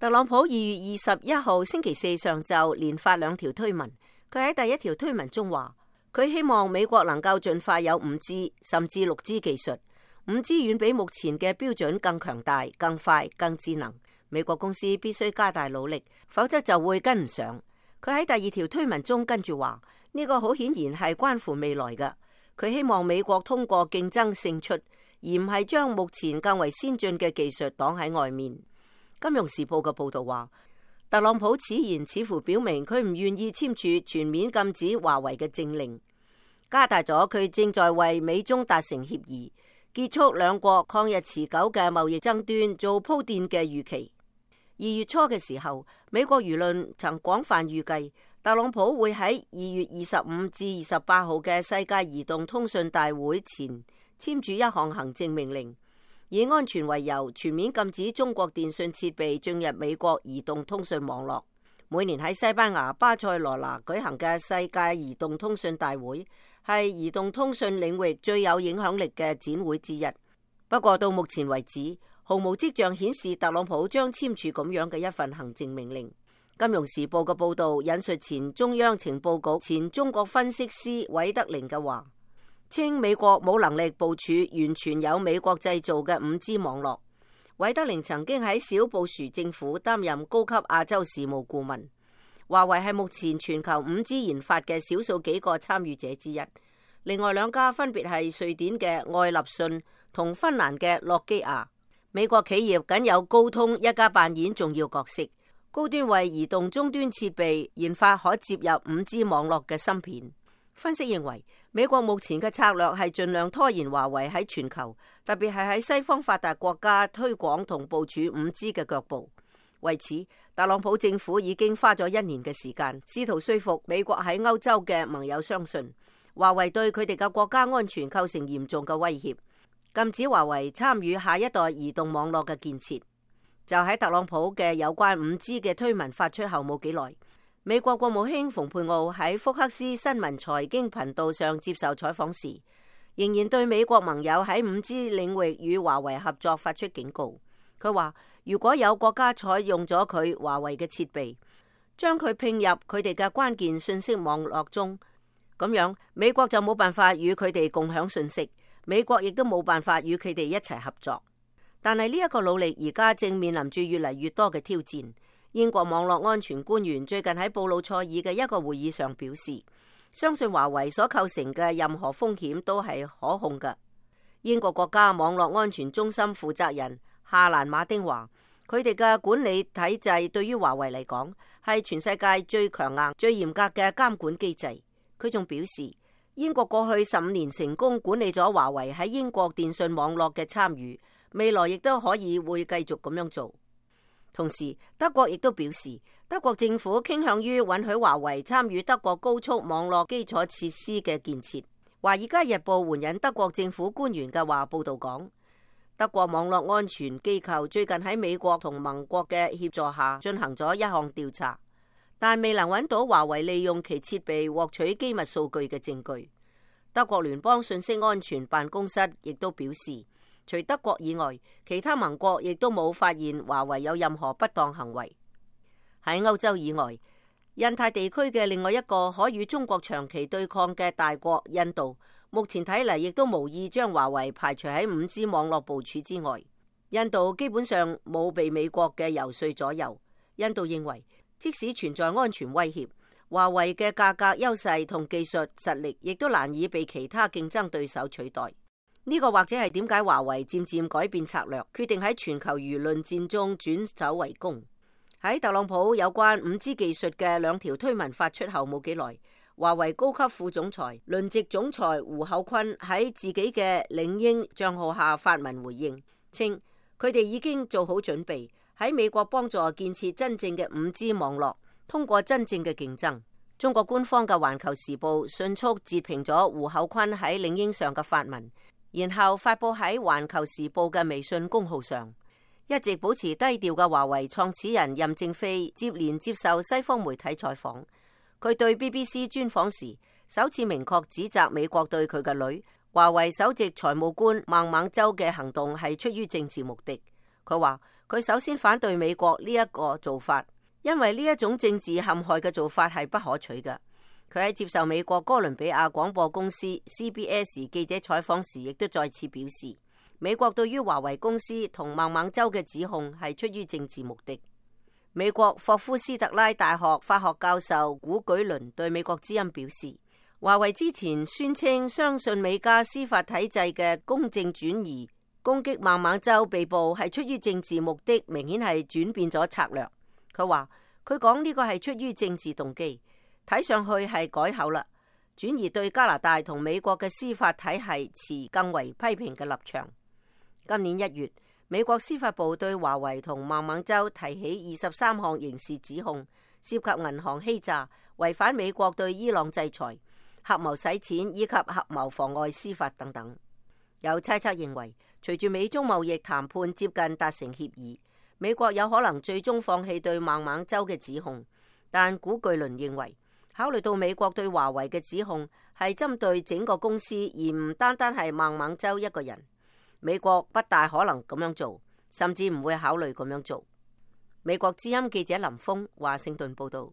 特朗普2月21號星期四上晝連發2條推文。佢喺第一條推文中話，佢希望美國能夠盡快有 5G 甚至 6G 技術。5G 遠比目前嘅標準更強大、更快、更智能。美國公司必須加大努力，否則就會跟唔上。佢喺第二條推文中跟住話，呢個好顯然係關乎未來嘅。佢希望美國通過競爭勝出，而唔係將目前更為先進嘅技術擋喺外面。金融時報嘅報道話，特朗普此言似乎表明佢唔願意簽署全面禁止華為嘅政令，加大咗佢正在為美中達成協議、結束兩國曠日持久嘅貿易爭端做鋪墊嘅預期。2月初嘅時候，美國輿論曾廣泛預計特朗普會喺2月25至28號嘅世界移動通訊大會前簽署一項行政命令，以安全為由，全面禁止中國電信設備進入美國移動通訊網絡。每年喺西班牙巴塞羅那舉行嘅世界移動通訊大會，係移動通訊領域最有影響力嘅展會之一。不過到目前為止，毫無跡象顯示特朗普將簽署咁樣嘅一份行政命令。金融時報嘅報導引述前中央情報局前中國分析師韋德寧嘅話，稱美國冇能力部署完全有美國製造嘅 5G 網絡。韋德寧曾經喺小布殊政府擔任高級亞洲事務顧問。華為係目前全球 5G 研發嘅少數幾個參與者之一。另外2家分別係瑞典嘅愛立信同芬蘭嘅諾基亞。美國企業僅有高通一家扮演重要角色，高端為移動終端設備研發可接入 5G 網絡嘅芯片。分析認為，美國目前嘅策略係盡量拖延華為喺全球，特別係喺西方發達國家推廣同部署 5G 嘅腳步。為此，特朗普政府已經花咗1年嘅時間，試圖說服美國喺歐洲嘅盟友相信華為對佢哋嘅國家安全構成嚴重嘅威脅，禁止華為參與下一代移動網絡嘅建設。就喺特朗普嘅有關 5G 嘅推文發出後冇幾耐，美國國務卿蓬佩奧喺福克斯新聞財經頻道上接受採訪時，仍然對美國盟友喺 5G 領域與華為合作發出警告。佢話，如果有國家採用咗佢華為嘅設備，將佢併入佢哋嘅關鍵信息網絡中，咁樣美國就冇辦法與佢哋共享信息，美國亦都冇辦法與佢哋一齊合作。但係呢一個努力而家正面臨住越嚟越多嘅挑戰。英國網絡安全官員最近喺布魯塞爾嘅一個會議上表示，相信華為所構成嘅任何風險都係可控嘅。英國國家網絡安全中心負責人夏蘭馬丁話，佢哋嘅管理體制對於華為嚟講係全世界最強硬、最嚴格嘅監管機制。佢仲表示，英國過去15年成功管理咗華為喺英國電信網絡嘅參與，未來亦都可以會繼續咁樣做。同時，德國亦都表示，德國政府傾向於允許華為參與德國高速網絡基礎設施嘅建設。華爾街日報援引德國政府官員嘅話報道講，德國網絡安全機構最近喺美國同盟國嘅協助下進行咗一項調查，但未能揾到華為利用其設備獲取機密數據嘅證據。德國聯邦信息安全辦公室亦都表示，除德國以外，其他盟國亦都冇發現華為有任何不當行為。喺歐洲以外，印太地區嘅另外一個可與中國長期對抗嘅大國印度，目前睇嚟亦都無意將華為排除喺 5G 網絡部署之外。印度基本上冇被美國嘅遊說左右。印度認為，即使存在安全威脅，華為嘅價格優勢同技術實力亦都難以被其他競爭對手取代。呢個或者係點解華為漸漸改變策略，決定喺全球輿論戰中轉守為攻。喺特朗普有關 5G 技術嘅2條推文發出後冇幾耐，華為高級副總裁、輪值總裁胡厚昆喺自己嘅領英賬號下發文回應，稱佢哋已經做好準備喺美國幫助建設真正嘅 5G 網絡，通過真正嘅競爭。中國官方嘅環球時報迅速截屏咗胡厚昆喺領英上嘅發文，然後發佈喺環球時報嘅微信公號上。一直保持低調嘅華為創始人任正非接連接受西方媒體採訪，佢對 BBC 專訪時首次明確指責美國對佢嘅女華為首席財務官孟晚舟嘅行動係出於政治目的。佢話佢首先反對美國呢一個做法，因為呢一種政治陷害嘅做法係不可取嘅。佢喺接受美國哥倫比亞廣播公司 CBS 記者採訪時，亦都再次表示，美國對於華為公司同孟晚舟嘅指控係出於政治目的。美國霍夫斯特拉大學法學教授古舉倫對美國之音表示，華為之前宣稱相信美加司法體制嘅公正轉移，攻擊孟晚舟被捕係出於政治目的，明顯係轉變咗策略。佢話佢講呢個係出於政治動機，睇上去係改口啦，轉移對加拿大同美國嘅司法體系持更為批評嘅立場。今年1月，美國司法部對華為同孟晚舟提起23項刑事指控，涉及銀行欺詐、違反美國對伊朗制裁、合謀洗錢以及合謀妨礙司法等等。有猜測認為，隨住美中貿易談判接近達成協議，美國有可能最終放棄對孟晚舟嘅指控。但古巨倫認為，考慮到美國對華為嘅指控係針對整個公司，而唔單單係孟晚舟一個人，美國不大可能咁樣做，甚至唔會考慮咁樣做。美國之音記者林峰華盛頓報道。